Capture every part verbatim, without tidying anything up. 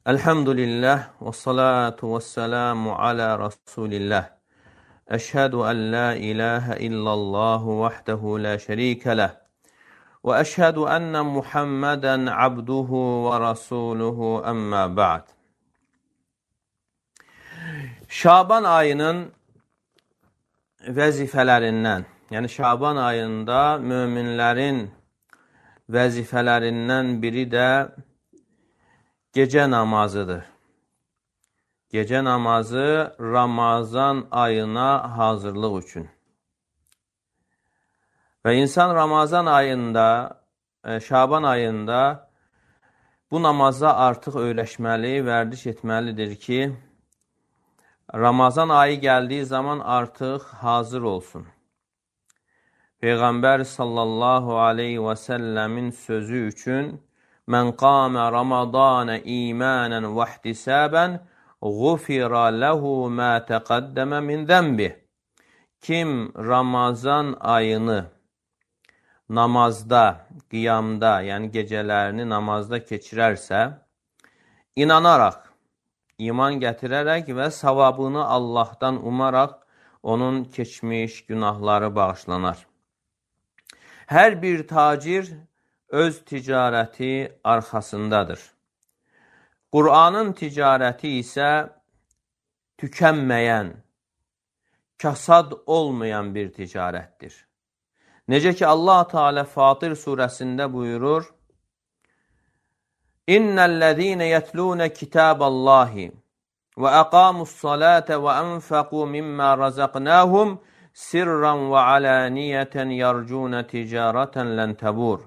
Elhamdülillah və salatu və selamu alə Rasulillah. Əşhədu ən la ilahə illallahu vahdehu la şərikə ləh. Və əşhədu ənnə Muhammədən abduhu və rasuluhu əmmə ba'd. Şaban ayının vəzifələrindən, yəni Şaban ayında möminlərin vəzifələrindən biri də gecə namazıdır. Gecə namazı Ramazan ayına hazırlıq üçün. Və insan Ramazan ayında, Şaban ayında bu namaza artıq öyrəşməli, vərdiş etməlidir ki, Ramazan ayı gəldiyi zaman artıq hazır olsun. Peyğəmbər sallallahu aleyhi və səlləmin sözü üçün Mən qamə Ramadanə imanən və ihtisabənğufira ləhu mə təqəddəmə min zənbih. Kim Ramazan ayını namazda, qiyamda, yəni gecələrini namazda keçirərsə, inanaraq, iman gətirərək və savabını Allahdan umaraq onun keçmiş günahları bağışlanar. Hər bir tacir öz ticarəti arxasındadır. Qur'anın ticarəti isə tükənməyən, kasad olmayan bir ticarətdir. Necə ki Allah Teala Fatir surəsində buyurur: İnnellezîne yetlûne kitâballâhi ve aqâmussalâte ve enfekû mimmâ razaqnâhum sirran ve alâniyeten yarcûne ticâreten len tebûr.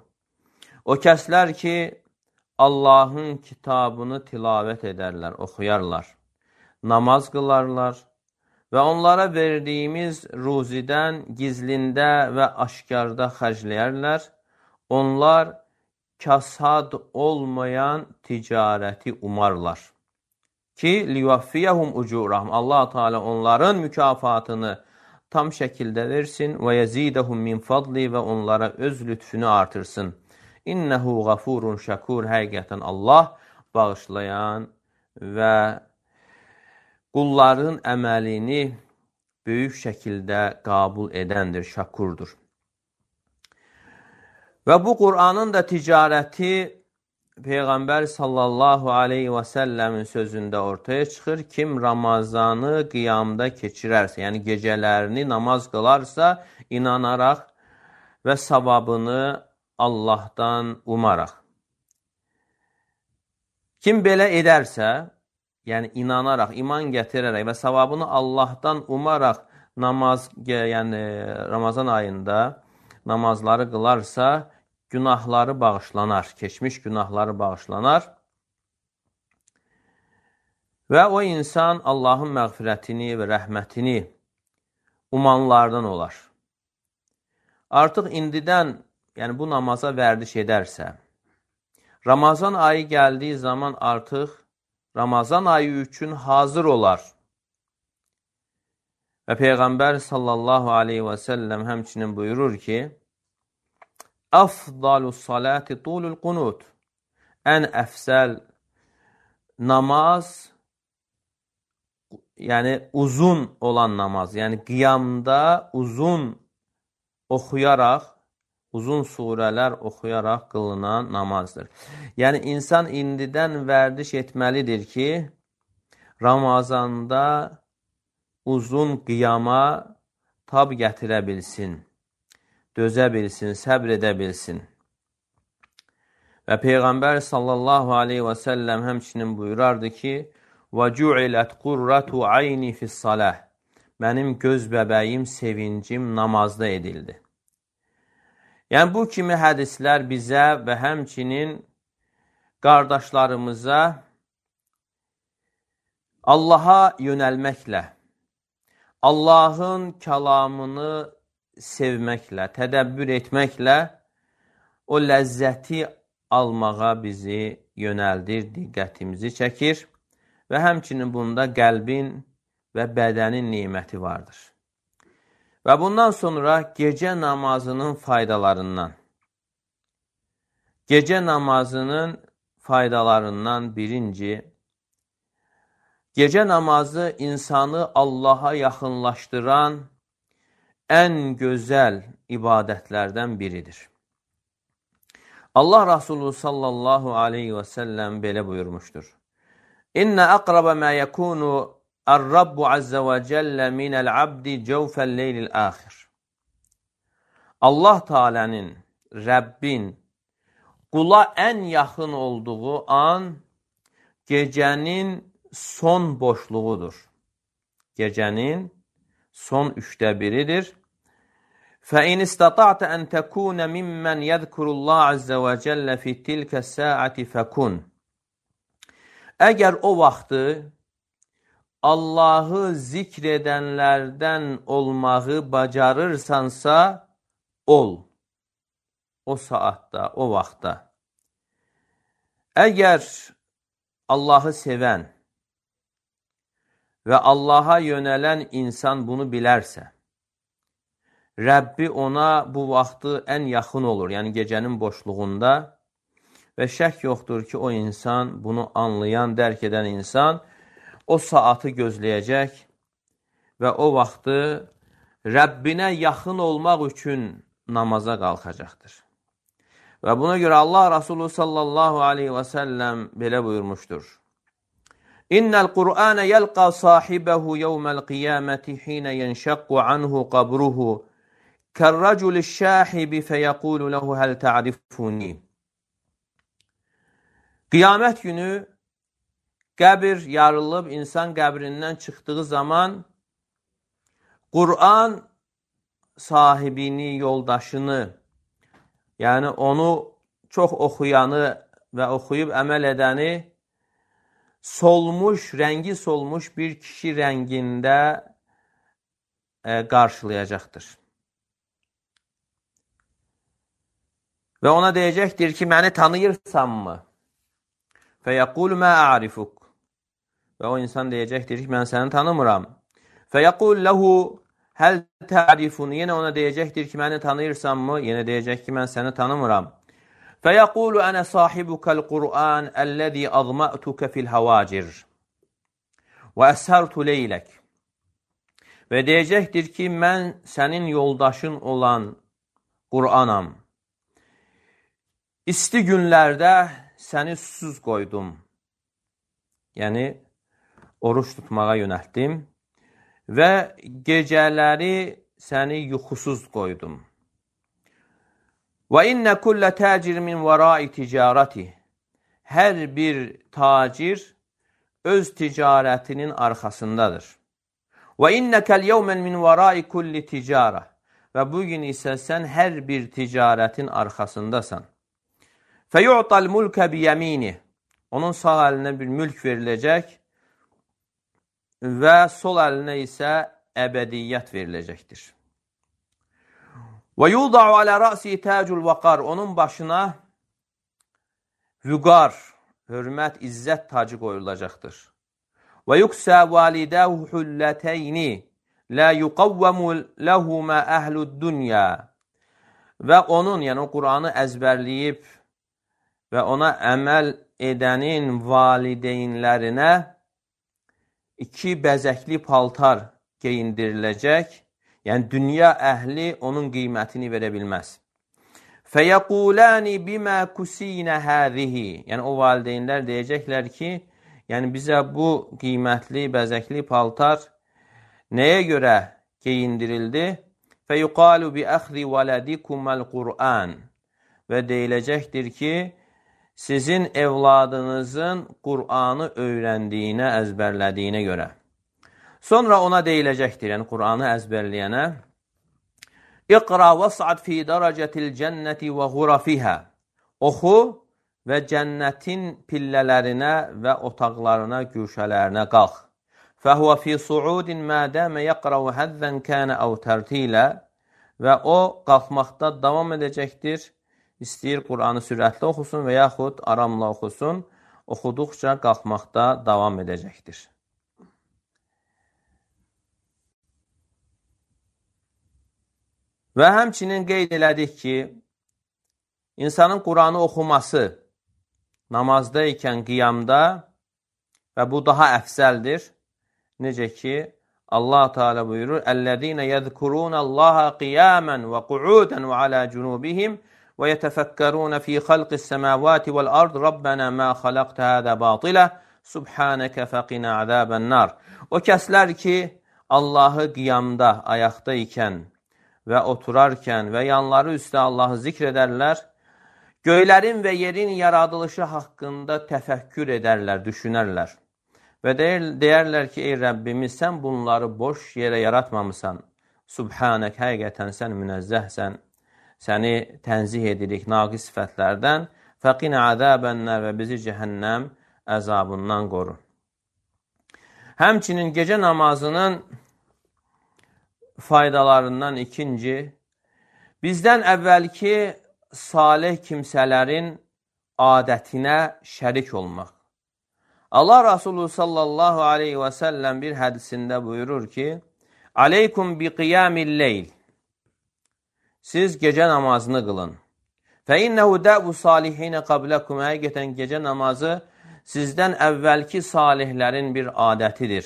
O kəslər ki, Allahın kitabını tilavət edərlər, oxuyarlar, namaz qılarlar və onlara verdiyimiz ruzidən gizlində və aşkarda xərcləyərlər. Onlar kasad olmayan ticarəti umarlar ki, livaffiyəhum ucurahum. Allah Teala onların mükafatını tam şəkildə versin və yezidəhum min fadli və onlara öz lütfünü artırsın. İnnehu gafurun şakur. Həqiqətən Allah bağışlayan və qulların əməlini böyük şəkildə qəbul edəndir, şakurdur. Və bu Qur'anın da ticarəti Peyğəmbər sallallahu aleyhi və səlləmin sözündə ortaya çıxır. Kim Ramazanı qiyamda keçirərsə, yəni gecələrini namaz qılarsa, inanaraq və savabını Allahdan umaraq. Kim belə edərsə, yəni inanaraq, iman gətirərək və savabını Allahdan umaraq namaz, yəni Ramazan ayında namazları qılarsa, günahları bağışlanar, keçmiş günahları bağışlanar və o insan Allahın məğfirətini və rəhmətini umanlardan olar. Artıq indidən, yəni bu namaza vərdiş edərsə, Ramazan ayı gəldiyi zaman artıq Ramazan ayı üçün hazır olar. Və Peyğəmbər sallallahu aleyhi və səlləm həmçinin buyurur ki, Əfdalus salati tulul qunut. Ən əfsəl namaz, yəni uzun olan namaz, yəni qiyamda uzun oxuyaraq, uzun surələr oxuyaraq qılınan namazdır. Yəni, insan indidən vərdiş etməlidir ki, Ramazanda uzun qiyama tab gətirə bilsin, dözə bilsin, səbr edə bilsin. Və Peyğəmbər sallallahu aleyhi və səlləm həmçinin buyurardı ki, وَجُعِلَتْ قُرَّةُ عَيْنِ فِي الصَّلَةِ. Mənim göz bəbəyim, sevincim namazda edildi. Yəni, bu kimi hədislər bizə və həmçinin qardaşlarımıza Allaha yönəlməklə, Allahın kəlamını sevməklə, tədəbbür etməklə o ləzzəti almağa bizi yönəldir, diqqətimizi çəkir və həmçinin bunda qəlbin və bədənin niməti vardır. Və bundan sonra gecə namazının faydalarından, gecə namazının faydalarından birinci, Gecə namazı insanı Allaha yaxınlaşdıran ən gözəl ibadətlərdən biridir. Allah Rasulü sallallahu aleyhi və səlləm belə buyurmuşdur. İnnə əqrabə mə yəkunu ər-Rabbu əzzə və cəllə minəl abdi cəvfəl leylil əxir. Allah Teala'nın, Rəbbin qula ən yaxın olduğu an gecənin son boşluğudur. Gecənin son üçdə biridir. فَاِنْ اِسْتَطَعْتَ أَنْ تَكُونَ مِمَّنْ يَذْكُرُ اللّٰهَ عَزَّ وَجَلَّ فِي تِلْكَ السَّاعَةِ فَكُنْ. Əgər o vaxtı Allahı zikr edənlərdən olmağı bacarırsansa, ol. O saatda, o vaxtda. Əgər Allahı sevən və Allaha yönələn insan bunu bilərsə, Rəbbi ona bu vaxtı ən yaxın olur, yəni gecənin boşluğunda və şək yoxdur ki, o insan, bunu anlayan, dərk edən insan o saatı gözləyəcək və o vaxtı Rəbbinə yaxın olmaq üçün namaza qalxacaqdır. Və buna görə Allah Rasulü sallallahu aleyhi və səlləm belə buyurmuşdur. İnnəl Qur'anə yəlqa sahibəhu yevməl qiyaməti hinə yenşəqqu anhu qabruhu kərrəcul şəhibi fəyəqulu ləhu həl ta'rifuni. Qiyamət günü qəbir yarılıb, insan qəbrindən çıxdığı zaman Qur'an sahibini, yoldaşını, yəni onu çox oxuyanı və oxuyub əməl edəni solmuş, rəngi solmuş bir kişi rəngində e, qarşılayacaqdır. Və ona deyəcəkdir ki, məni tanıyırsanmı? Fəyəqulu mə a'rifuk. Və o insan deyəcəkdir ki, mən səni tanımıram. Fəyəqul ləhu həl ta'rifun. Yenə ona deyəcəkdir ki, məni tanıyırsanmı? Yenə deyəcək ki, mən səni tanımıram. Fəyəqulu ənə sahibukəl Qur'an əlləzi azma'tukə fil havacir və əsərtu leylək. Və deyəcəkdir ki, mən sənin yoldaşın olan Qur'anam. İsti günlərdə səni susuz qoydum. Yəni, oruç tutmağa yönəltdim və gecələri səni yuxusuz qoydum. Və innə kullə təcir min vərai ticarəti. Hər bir tacir öz ticarətinin arxasındadır. Və innəkəl yevmən min vərai kulli ticarə. Və bugün isə sən hər bir ticarətin arxasındasan. Fəyu'tal mulkə biyəmini. Onun sağ əlinə bir mülk veriləcək və sol əlinə isə əbədiyyət veriləcəkdir. Və yuda'u alə rəsi təcul vəqar. Onun başına vüqar, hörmət, izzət tacı qoyulacaqdır. Və yuksə validəhu hullətəyni lə yuqavvəmu ləhumə əhlud dünya. Və onun, yəni o Qur'anı əzbərləyib və ona əməl edənin valideynlərinə iki bəzəkli paltar geyindiriləcək. Yəni, dünya əhli onun qiymətini verə bilməz. Fəyəquləni bimə kusinə həzihi. Yəni, o valideynlər deyəcəklər ki, yəni bizə bu qiymətli, bəzəkli paltar nəyə görə geyindirildi? Fəyuqalu bi əxri vələdikuməl Qur'an. Və deyiləcəkdir ki, sizin evladınızın Qur'anı öyrəndiyinə, əzbərlədiyinə görə. Sonra ona deyiləcəkdir, yəni Qur'anı əzbərləyənə, İqra vəs'ad fi dərəcətil cənnəti vəğurafihə. Oxu və cənnətin pillələrinə və otaqlarına, güşələrinə qalx. Fəhvə fi suudin mədəmə yəqrəu həzzən kənə əv tərtilə. Və o, qalxmaqda davam edəcəkdir. İstəyir Qur'anı sürətli oxusun və yaxud aramla oxusun, oxuduqca qalxmaqda davam edəcəkdir. Və həmçinin qeyd elədik ki, insanın Qur'anı oxuması namazda ikən qiyamda və bu daha əfsəldir. Necə ki, Allah Teala buyurur: "Ellezine yezkurunallaha qiyamen ve qu'uden ve ala junubihim ve yetefekkerun fi halqis semawati vel ard. Rabbena ma halaqta hada batila. Subhaneke faqina azaben nar." O kəslər ki, Allahı qiyamda, ayaqda ikən və oturarkən və yanları üstə Allahı zikr edərlər, göylərin və yerin yaradılışı haqqında təfəkkür edərlər, düşünərlər. Və deyər, deyərlər ki, ey Rəbbimiz, sən bunları boş yerə yaratmamısan. Subhanək, həqiqətən sən münəzzəhsən. Səni tənzih edirik naqis sifətlərdən. Fəqinə əzəbənlər və bizi cəhənnəm əzabından qoru. Həmçinin gecə namazının faydalarından ikinci, bizdən əvvəlki salih kimsələrin adətinə şərik olmaq. Allah Resulü sallallahu aleyhi və səlləm bir hədisində buyurur ki, "Aleykum bi qiyamil leyl." Siz gecə namazını qılın. "Fə innehu də'bu salihinə qabləkum." Həqiqətən gecə namazı sizdən əvvəlki salihlərin bir adətidir.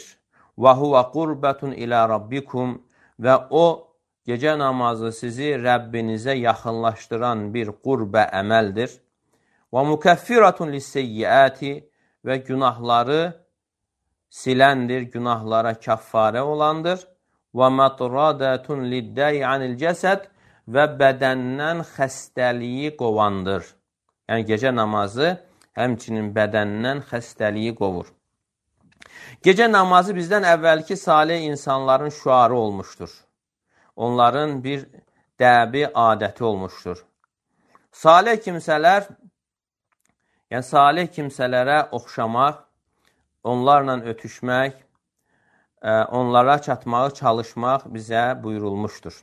"Və huvə qurbətun ilə rabbikum." Və o, gecə namazı sizi Rəbbinizə yaxınlaşdıran bir qurbə əməldir. "Və mukəffiratun lisseyyiəti." Və günahları siləndir, günahlara kəffarə olandır. "Və matradətun liddəyi anil cəsəd." Və bədəndən xəstəliyi qovandır. Yəni, gecə namazı həmçinin bədəndən xəstəliyi qovur. Gecə namazı bizdən əvvəlki salih insanların şüarı olmuşdur. Onların bir dəbi adəti olmuşdur. Salih kimsələr, yəni salih kimsələrə oxşamaq, onlarla ötüşmək, onlara çatmağı çalışmaq bizə buyurulmuşdur.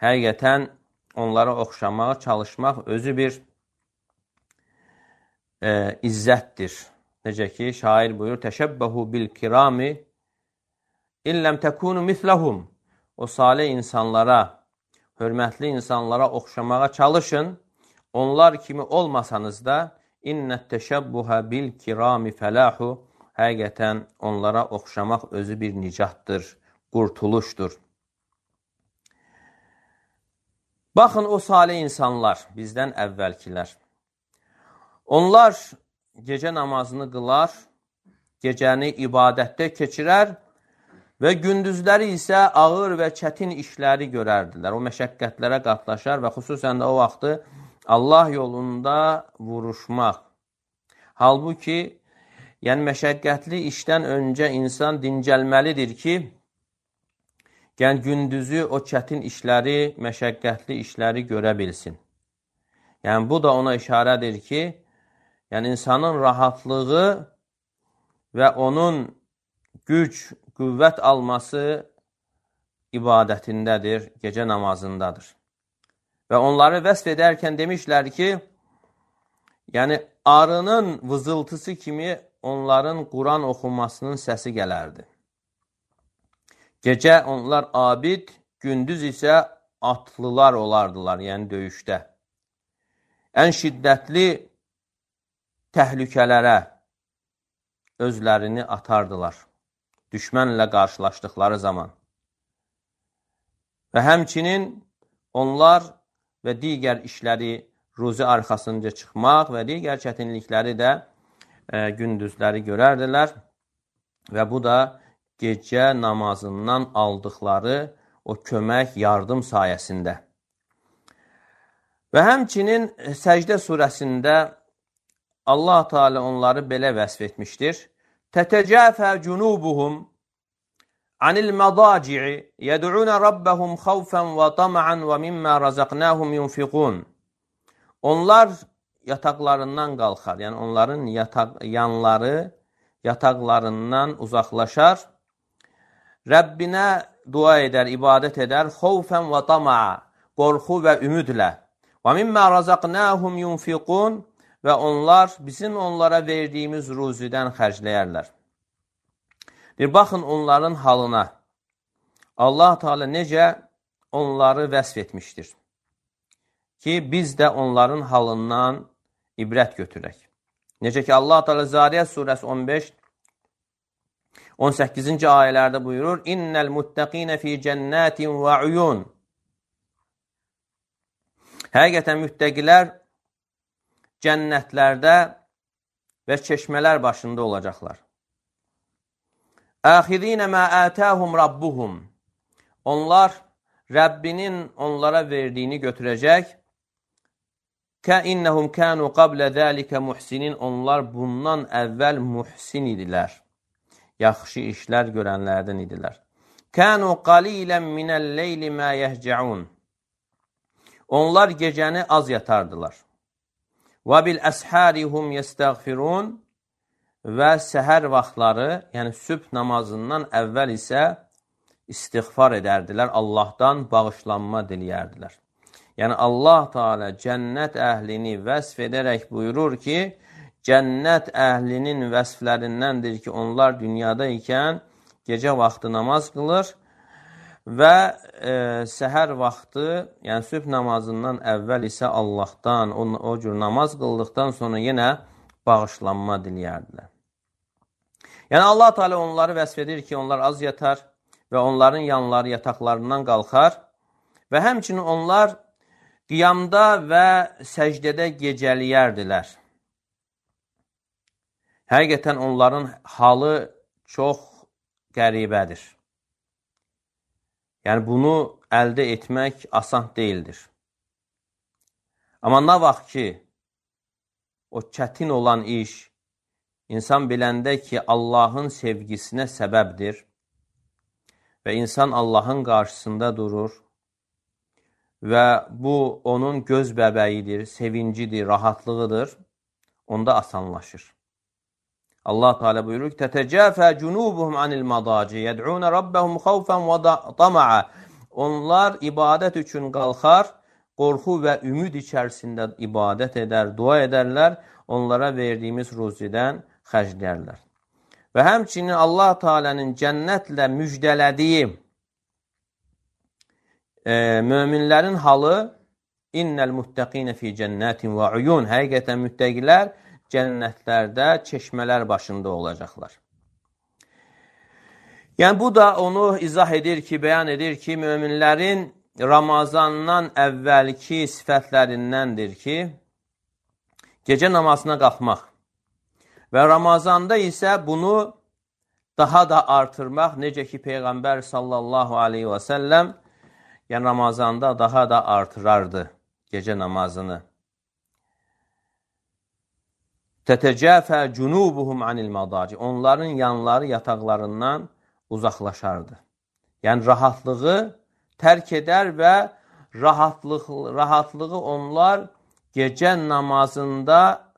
Həqiqətən onlara oxşamağa çalışmaq özü bir e, izzətdir. Necə ki, şair buyurur, "Təşəbbəhu bil kirami illəm təkunu misləhum." O salih insanlara, hörmətli insanlara oxşamağa çalışın. Onlar kimi olmasanız da, "İnnət təşəbbuhə bil kirami fəlahu." Həqiqətən onlara oxşamaq özü bir nicatdır, qurtuluşdur. Baxın, o salih insanlar, bizdən əvvəlkilər. Onlar gecə namazını qılar, gecəni ibadətdə keçirər və gündüzləri isə ağır və çətin işləri görərdilər. O məşəqqətlərə qatlaşar və xüsusən də o vaxtı Allah yolunda vuruşmaq. Halbuki, yəni məşəqqətli işdən öncə insan dincəlməlidir ki, yəni gündüzü o çətin işləri, məşəqqətli işləri görə bilsin. Yəni bu da ona işarədir ki, yəni insanın rahatlığı və onun güc, qüvvət alması ibadətindədir, gecə namazındadır. Və onları vəsf edərkən demişlər ki, yəni arının vızıltısı kimi onların Quran oxunmasının səsi gələrdi. Gecə onlar abid, gündüz isə atlılar olardılar, yəni döyüşdə. Ən şiddətli təhlükələrə özlərini atardılar, düşmənlə qarşılaşdıqları zaman. Və həmçinin onlar və digər işləri, ruzi arxasınca çıxmaq və digər çətinlikləri də e, gündüzləri görərdilər. Və bu da gecə namazından aldıqları o kömək, yardım sayəsində. Və həmçinin Səcdə surəsində Allah Teala onları belə vəsf etmişdir. Tətəcəfə cunubuhum anil mədaci'i yəd'unə rabbəhum xavfən və tama'an və mimmə razaqnahum yunfiqun. Onlar yataqlarından qalxar, yəni onların yataq, yanları yataqlarından uzaqlaşar, Rəbbinə dua edər, ibadət edər, xovfən və tama'a, qorxu və ümidlə. Və mimmə razaqnahum yunfiqun, və onlar bizim onlara verdiyimiz ruzidən xərcləyərlər. Bir baxın onların halına. Allah Teala necə onları vəsf etmişdir ki, biz də onların halından ibrət götürək. Necə ki, Allah Teala Zariyat surəsi on beş on səkkizinci ayələrdə buyurur, İnnəl muttəqinə fi cənnətin və uyun. Həqiqətən müttəqilər cənnətlərdə və çeşmələr başında olacaqlar. Əxirinə mə ətəhum rabbuhum. Onlar Rəbbinin onlara verdiyini götürəcək. Kəinnəhum kənu qablə zəlikə muhsinin. Onlar bundan əvvəl muhsin idilər. Yaxşı işlər görənlərdən idilər. Kənu qalilən minəl-leyli mə yəhcəun. Onlar gecəni az yatardılar. Və bil-əshərihum yəstəğfirun. Və səhər vaxtları, yəni sübh namazından əvvəl isə istiğfar edərdilər, Allahdan bağışlanma diləyərdilər. Yəni Allah Teala cənnət əhlini vəsf edərək buyurur ki, cənnət əhlinin vəsflərindəndir ki, onlar dünyada ikən gecə vaxtı namaz qılır və e, səhər vaxtı, yəni sübh namazından əvvəl isə Allahdan o, o cür namaz qıldıqdan sonra yenə bağışlanma diləyərdilər. Yəni Allah Teala onları vəsf edir ki, onlar az yatar və onların yanları yataqlarından qalxar və həmçinin onlar qiyamda və səcdədə gecəliyərdilər. Həqiqətən onların halı çox qəribədir. Yəni bunu əldə etmək asan deyildir. Amma nə vaxt ki, o çətin olan iş insan biləndə ki, Allahın sevgisinə səbəbdir və insan Allahın qarşısında durur və bu onun göz bəbəyidir, sevincidir, rahatlığıdır, onda asanlaşır. Allah Teala buyurur ki, Tətəcəfə cunubuhum anil madaci, yəd'unə rabbəhum xavfən və tama'a. Onlar ibadət üçün qalxar, qorxu və ümid içərisində ibadət edər, dua edərlər, onlara verdiyimiz ruzidən xərclərlər. Və həmçinin Allah Teala'nın cənnətlə müjdələdiyi e, möminlərin halı innəl muttəqinə fi cənnətin və uyun. Həqiqətən müttəqilər cənnətlərdə çeşmələr başında olacaqlar. Yəni bu da onu izah edir ki, bəyan edir ki, möminlərin Ramazandan əvvəlki sifətlərindəndir ki, gecə namazına qalxmaq və Ramazanda isə bunu daha da artırmaq, necə ki Peyğəmbər sallallahu aleyhi və səlləm yəni Ramazanda daha da artırardı gecə namazını. Tətəcəfə cunubuhum anil madaci. Onların yanları yataqlarından uzaqlaşardı. Yəni rahatlığı tərk edər və rahatlıq, rahatlığı onlar gecə namazında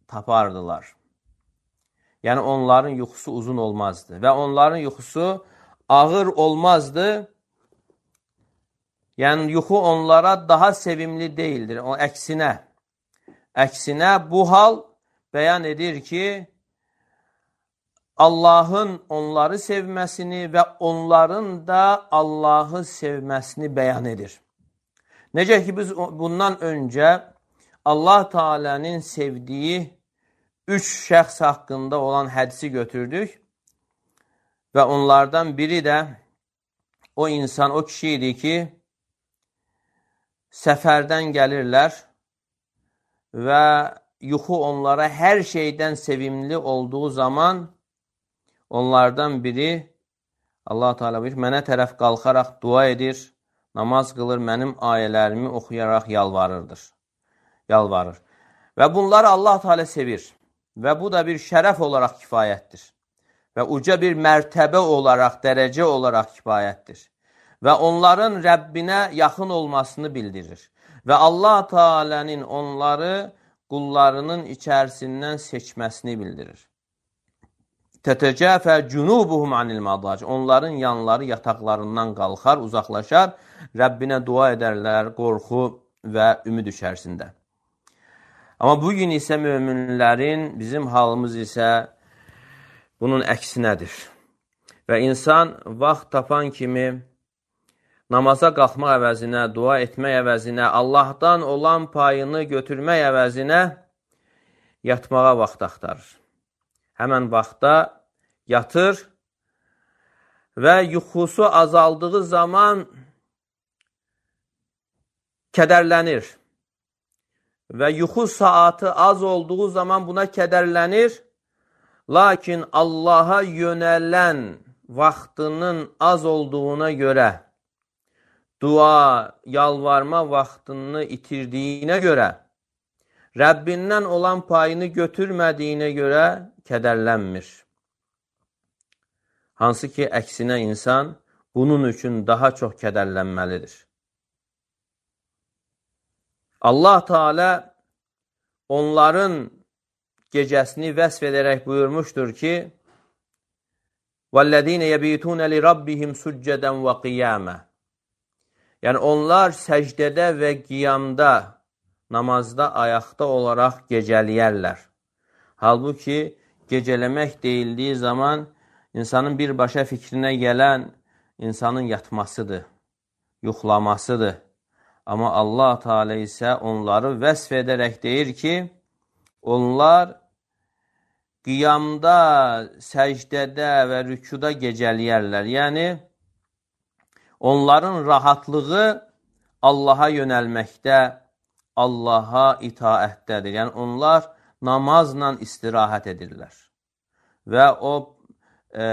tapardılar. Yəni onların yuxusu uzun olmazdı və onların yuxusu ağır olmazdı. Yəni yuxu onlara daha sevimli deyildir. O əksinə, əksinə bu hal bəyan edir ki, Allahın onları sevməsini və onların da Allahı sevməsini bəyan edir. Necə ki biz bundan öncə Allah Teala'nın sevdiyi üç şəxs haqqında olan hədisi götürdük və onlardan biri də o insan, o kişi idi ki, səfərdən gəlirlər və yuxu onlara hər şeydən sevimli olduğu zaman onlardan biri Allah Teala buyur, mənə tərəf qalxaraq dua edir, namaz qılır, mənim ayələrimi oxuyaraq yalvarırdır. Yalvarır. Və bunları Allah Teala sevir. Və bu da bir şərəf olaraq kifayətdir. Və uca bir mərtəbə olaraq, dərəcə olaraq kifayətdir. Və onların Rəbbinə yaxın olmasını bildirir. Və Allah Teala'nın onları qullarının içərisindən seçməsini bildirir. Tətəcəfə cunubuhum anil madaci. Onların yanları yataqlarından qalxar, uzaqlaşar, Rəbbinə dua edərlər, qorxu və ümid içərisində. Amma bugün isə möminlərin, bizim halımız isə bunun əksinədir. Və insan vaxt tapan kimi namaza qalxmaq əvəzinə, dua etmək əvəzinə, Allahdan olan payını götürmək əvəzinə yatmağa vaxt axtarır. Həmən vaxtda yatır və yuxusu azaldığı zaman kədərlənir və yuxu saatı az olduğu zaman buna kədərlənir. Lakin Allaha yönələn vaxtının az olduğuna görə, dua, yalvarma vaxtını itirdiyinə görə, Rəbbindən olan payını götürmədiyinə görə kədərlənmir. Hansı ki, əksinə insan bunun üçün daha çox kədərlənməlidir. Allah Teala onların gecəsini vəsf edərək buyurmuşdur ki, وَالَّذ۪ينَ يَب۪يتُونَ لِرَبِّهِمْ سُجَّدًا وَقِيَامًا. Yəni, onlar səcdədə və qiyamda, namazda, ayaqda olaraq gecələyərlər. Halbuki, gecələmək deyildiyi zaman, insanın birbaşa fikrinə gələn insanın yatmasıdır, yuxlamasıdır. Amma Allah Teala isə onları vəsf edərək deyir ki, onlar qiyamda, səcdədə və rükuda gecələyərlər. Yəni, onların rahatlığı Allaha yönəlməkdə, Allaha itaətdədir. Yəni, onlar namazla istirahət edirlər. Və o, e,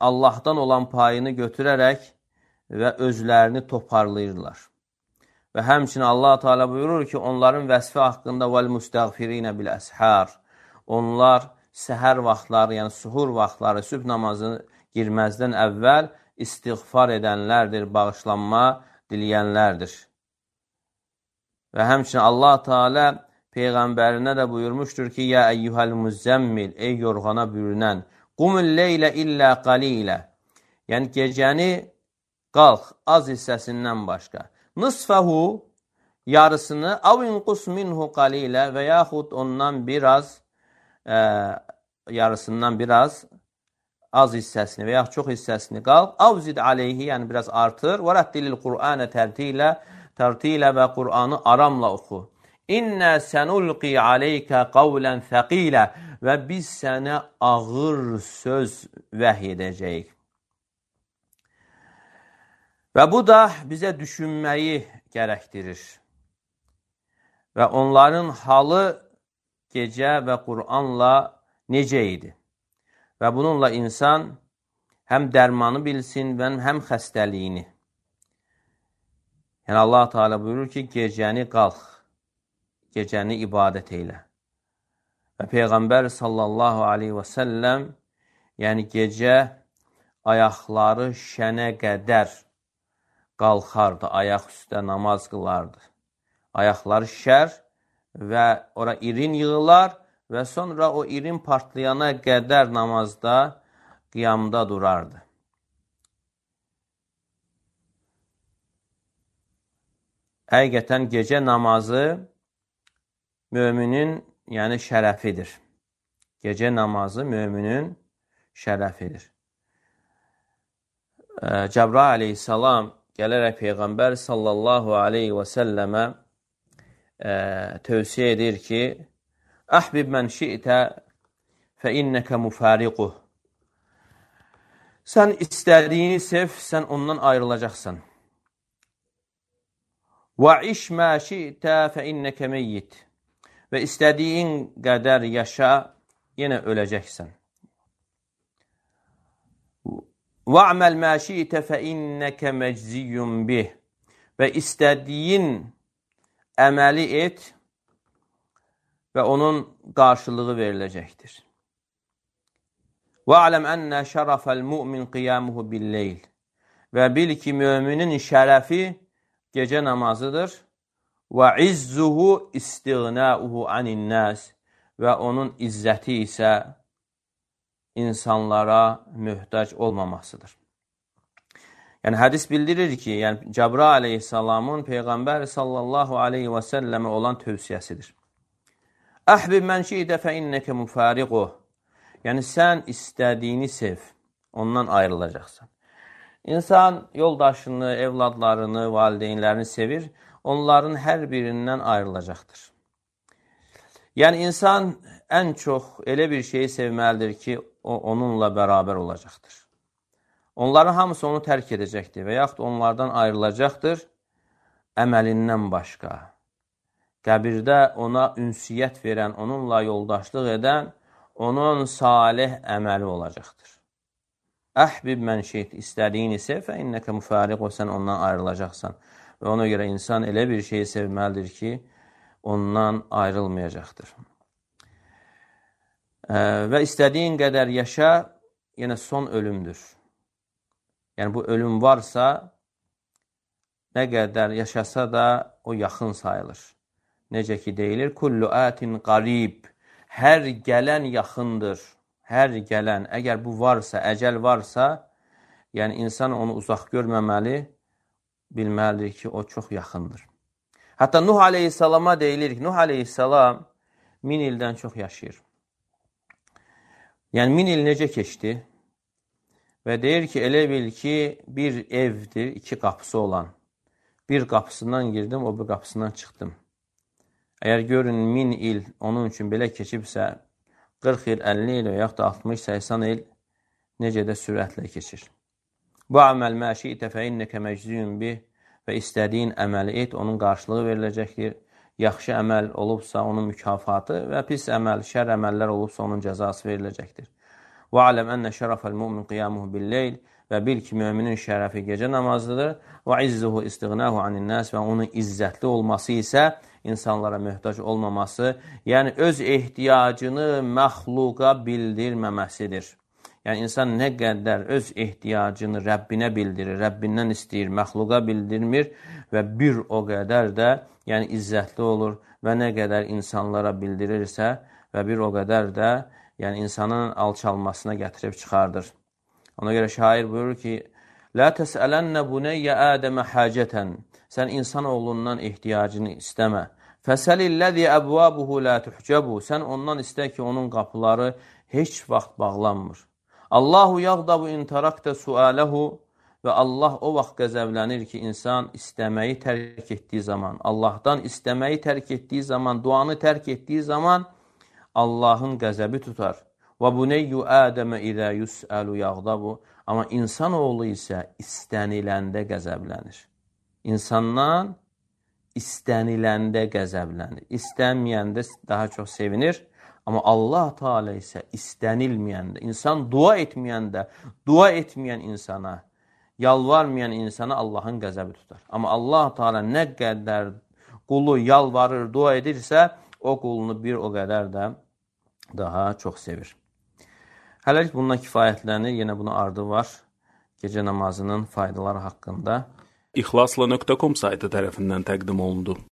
Allahdan olan payını götürərək və özlərini toparlayırlar. Və həmçinin Allah Teala buyurur ki, onların vəsfi haqqında وَالْمُسْتَغْفِرِينَ بِالْأَسْحَارِ. Onlar səhər vaxtları, yəni suhur vaxtları, sübh namazını girməzdən əvvəl istiğfar edənlərdir, bağışlanma diləyənlərdir. Və həmçinin Allah Teala Peyğəmbərinə də buyurmuşdur ki, Yə əyyuhəl müzzəmmil, ey yorğana bürünən, qumul leylə illə qalilə. Yəni, gecəni qalx, az hissəsindən başqa. Nısfəhu, yarısını, av inqus minhu qalilə və yaxud ondan biraz, e, yarısından biraz az hissəsini və yaxud çox hissəsini qalx. Av zid aleyhi, yəni biraz artır. Və rəddilil Qur'anə tərtilə, tərtilə və Qur'anı aramla oxu. İnnə sənulqi aleykə qavlən thəqilə və biz sənə ağır söz vəhy edəcəyik. Və bu da bizə düşünməyi gərəkdirir. Və onların halı gecə və Qur'anla necə idi? Və bununla insan həm dərmanı bilsin, həm xəstəliyini. Yəni Allah Teala buyurur ki, gecəni qalx, gecəni ibadət eylə. Və Peyğəmbər sallallahu aleyhi və səlləm, yəni gecə ayaqları şənə qədər qalxardı, ayaq üstə namaz qılardı. Ayaqları şər və ora irin yığılar və sonra o irin partlayana qədər namazda, qiyamda durardı. Həqiqətən gecə namazı müminin, yəni şərəfidir. Gecə namazı müminin şərəfidir. Cəbrail aleyhissalam gələrək Peyğəmbər sallallahu aleyhi və səlləmə tövsiyə edir ki, Əhbib mən şi'tə fə innəkə müfəriquh. Sən istədiyini sev, sən ondan ayrılacaqsan. Və iş mə şi'tə fə innəkə meyyit. Və istədiyin qədər yaşa, yenə öləcəksən. Və əməl mə şi'tə fə innəkə məcziyyun bih. Və istədiyin əməli et və onun qarşılığı veriləcəkdir. Və aləm ənnə şərəfəl mümin qiyamuhu billeyl. Və bil ki, müminin şərəfi gecə namazıdır. Və izzuhu istiğnəuhu aninnəs. Və onun izzəti isə insanlara möhtac olmamasıdır. Yəni, hədis bildirir ki, yəni, Cəbrail aleyhissalamın Peyğəmbər sallallahu aleyhi və səlləmə olan tövsiyəsidir. Əhbib mən şi'də fə innəkə müfəriquh. Yəni, sən istədiyini sev, ondan ayrılacaqsan. İnsan yoldaşını, evladlarını, valideynlərini sevir, onların hər birindən ayrılacaqdır. Yəni, insan ən çox elə bir şeyi sevməlidir ki, o onunla bərabər olacaqdır. onların hamısı onu tərk edəcəkdir və yaxud onlardan ayrılacaqdır əməlindən başqa. Qəbirdə ona ünsiyyət verən, onunla yoldaşlıq edən, onun salih əməli olacaqdır. Əhbib mən şeyt, istədiyin isə fə innəkə müfariq, o sən ondan ayrılacaqsan. Və ona görə insan elə bir şeyi sevməlidir ki, ondan ayrılmayacaqdır. Və istədiyin qədər yaşa, yenə son ölümdür. Yəni, bu ölüm varsa, nə qədər yaşasa da o yaxın sayılır. Necə ki, deyilir, kullu ətin qarib, hər gələn yaxındır. Hər gələn, əgər bu varsa, əcəl varsa, yəni insan onu uzaq görməməli, bilməlidir ki, o çox yaxındır. Hətta Nuh aleyhissalama deyilir ki, Nuh aleyhissalam min ildən çox yaşayır. Yəni, min il necə keçdi? Və deyir ki, elə bil ki, bir evdir, iki qapısı olan. Bir qapısından girdim, o bir qapısından çıxdım. Əgər görün, min il onun üçün belə keçibsə, qırx il, əlli il və yaxud da altmış səksən il necə də sürətlə keçir. Bu əməl məşi'tə fə innəkə məcziyun bih və istədiyin əməli et, onun qarşılığı veriləcəkdir. Yaxşı əməl olubsa onun mükafatı və pis əməl, şər əməllər olubsa onun cəzası veriləcəkdir. Və aləm ənə şərəfəl mümin qiyamuhu billeyl və bil ki, müminin şərəfi gecə namazıdır. Və izzuhu istiğnahu anin-nas və onun izzətli olması isə insanlara möhtac olmaması, yəni öz ehtiyacını məxluqa bildirməməsidir. Yəni, insan nə qədər öz ehtiyacını Rəbbinə bildirir, Rəbbindən istəyir, məxluqa bildirmir və bir o qədər də yəni, izzətli olur və nə qədər insanlara bildirirsə və bir o qədər də yəni, insanın alçalmasına gətirib çıxardır. Ona görə şair buyurur ki, Lə təsələnnə bunəyyə ədəmə həcətən. Sən insan oğlundan ehtiyacını istəmə. Fəsəlilləzi əbvabuhu lə tuhcəbu. Sən ondan istə ki, onun qapıları heç vaxt bağlanmır. Allahu yağdabu intarakdə sualəhu və Allah o vaxt qəzəblənir ki, insan istəməyi tərk etdiyi zaman, Allahdan istəməyi tərk etdiyi zaman, duanı tərk etdiyi zaman Allahın qəzəbi tutar. Və buneyyu ədəmə idə yusəlu yağdabu. Amma insanoğlu isə istəniləndə qəzəblənir. İnsandan istəniləndə qəzəblənir. İstənməyəndə daha çox sevinir. Amma Allah Teala isə istənilməyəndə, insan dua etməyəndə, dua etməyən insana, yalvarmayan insana Allahın qəzəbi tutar. Amma Allah Teala nə qədər qulu yalvarır, dua edirsə, o qulunu bir o qədər də daha çox sevir. Hələlik bundan kifayətlənir, yenə buna ardı var. Gecə namazının faydaları haqqında. İxlasla nöqtə com saytı tərəfindən təqdim olundu.